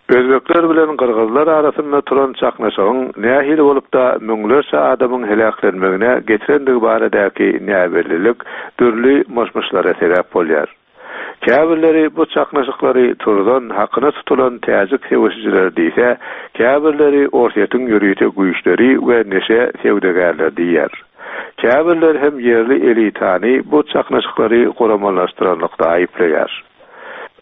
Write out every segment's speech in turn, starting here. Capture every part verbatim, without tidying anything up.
Özbekler bilen gyrgyzlar arasynda turan çaknyşygyň nähili bolup-da müňlerçe adamyň heläklenmegine getirendigi baradaky näbellilik dürli myş-myşlara sebäp bolýar. Käbirleri bu çaknyşyklary turuzan hakyna tutulan täjik söweşijileri diýse, käbirleri Orsýetiň ýörite güýçleri we neşe söwdagärleri diýýär. Käbirleri hem ýerli elitany bu çaknyşyklary guramalaşdyranlykda aýyplaýar.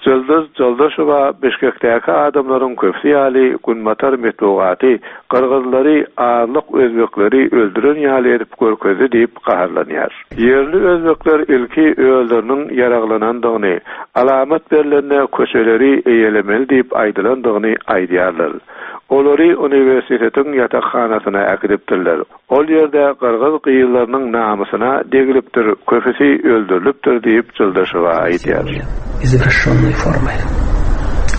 Jyldyz Joldaşowa Bişkekdäki adamlaryň köpüsi ýaly Günbatar metbugaty gyrgyzlary azlyk özbekleri öldüren ýaly edip görkezdi diýip gaharlanýar. Ýerli özbekler ilki özleriniň ýaraglanandygyny, alamat berlende köçeleri eýelemeli diýip aýdylandygyny aýdýarlar. Olary uniwersitetiň ýatakhanasyna äkidipdirler. Ol ýerde gyrgyz gyzlarynyň namysyna degilipdir, köpüsi öldürilipdir diýip Joldaşowa aýdýar. Извращенной формой.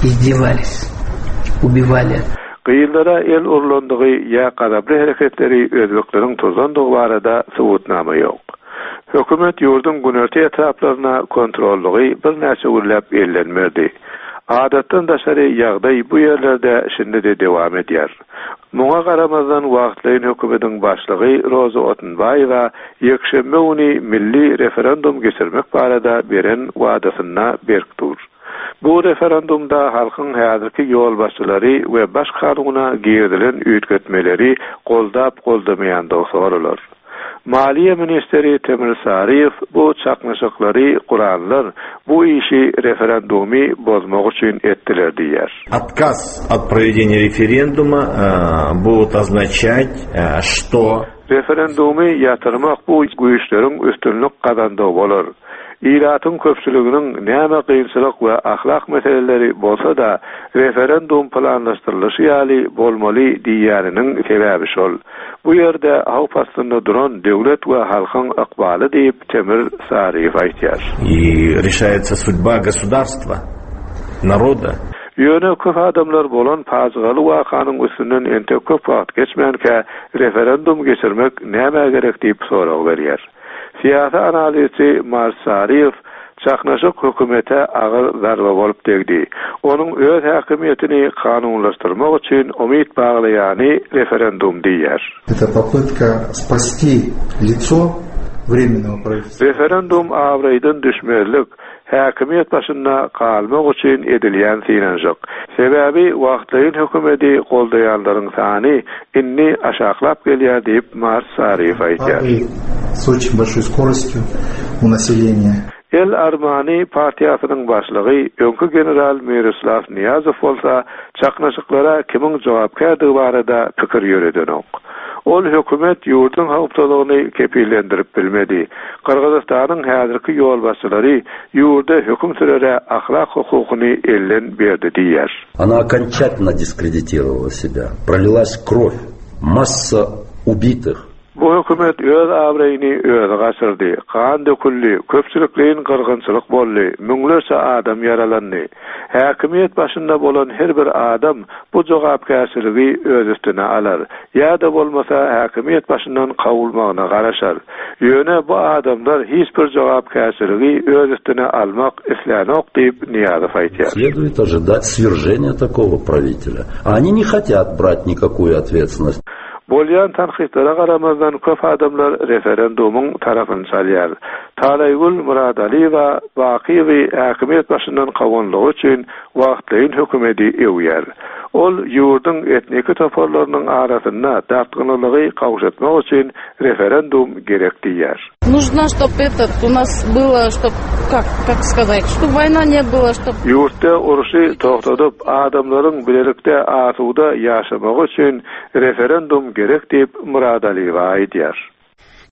Издевались, убивали. Gyzlara el urlandygy ýa gazaply hereketleri özbekleriň turuzandygy barada subutnama ýok. Hökümet ýurduň günorta etraplaryna kontrollygy birnäçe günläp elden berdi. Adatdan daşary ýagdaý bu ýerlerde şindi-de dowam edýär. Muňa garamazdan wagtlaýyn hökümetiň başlygy Roza Otunbaýewa ýekşenbe güni milli referendum geçirmek barada beren wadasynda berk dur. Bu referendumda halkyň häzirki ýolbaşçylary we baş kanuna girizilen üýtgetmeleri goldap goldamaýandygy soralar. Maliýe ministri Temir Sariýew bu çaknyşyklary guranlar bu işi referendumy bozmak üçin etdiler diýýär. Отказ от проведения референдума э, будут означать, э, что Referendumy ýatyrmak bu güýçleriň üstünlik gazandygy bolar. Ilatyň köpçüliginiň näme kynçylyk we ahlak meseleleri bolsa-da referendum planlaşdyrylyşy ýaly bolmaly diýýäniniň sebäbi şol. Bu ýerde howp astynda duran döwlet we halkyň ykbaly diýip Temir Sariýew aýtýar. И решается судьба государства, народа. Ýöne köp adamlar bolan pajygaly wakanyň üstünden entek köp wagt geçmänkä referendum geçirmek nämä gerek diýip sorag berýär. Syýasy analizçi Mars Sariýew çaknyşyk hökümete agyr zarba bolup degdi. Onuň öz häkimiýetini kanunlaşdyrmak üçin umyt baglaýany referendum diýýär. Это попытка спасти лицо временного правительства. Referendum abraýdan düşmezlik, häkimiýet başynda galmak üçin edilýän synanyşyk. Sebäbi wagtlaýyn hökümeti goldaýanlaryň sany indi aşaklap gelýär diýip Mars Sariýew aýtýar. Падает с очень большой скоростью у населения. El Armany partiýasynyň başlygy öňki general Miroslaw Niýazow bolsa çaknyşyklara kimiň jogapkärdigi barada pikir ýöredenok. Ol hökümet ýurduň howpsuzlygyny kepillendirip bilmedi. Gyrgyzystanyň häzirki ýolbaşçylary ýurda höküm sürere ahlak hukukyny elden berdi diýýär. Она окончательно дискредитировала себя. Пролилась кровь, масса убитых. Bu hökümet öz abraýyny özi gaçyrdy. Gan döküldi, köpçülikleýin gyrgynçylyk boldy, müňlerçe adam ýaralandy. Häkimiýet başynda bolan her bir adam bu jogapkärçiligi öz üstüne alar. Ýa-da bolmasa häkimiýet başyndan kowulmagyna garaşar. Ýöne bu adamlar hiç bir jogapkärçiligi öz üstüne almak islänok diýip Niýazow aýtýar. Следует ожидать свержения такого правителя. А они не хотят брать никакую ответственность. Bolýan tankytlara garamazdan köp adamlar referendumyň tarapyny çalýar. Talaýgül Muradaliýewa Bakyýewi häkimiýet başyndan kowanlygy üçin wagtlaýyn hökümeti öwýär. Ol ýurduň etniki toparlarynyň arasynda dartgynlygy gowşatmak üçin referendum gerek diýýär. Нужно, чтобы этот у нас было, чтоб как, как сказать, чтобы война не было, чтоб Ýurtda urşy togtadyp adamlaryň bilelikde asuda ýaşamagy üçin referendum gerek diýip Muradaliýewa aýdýar.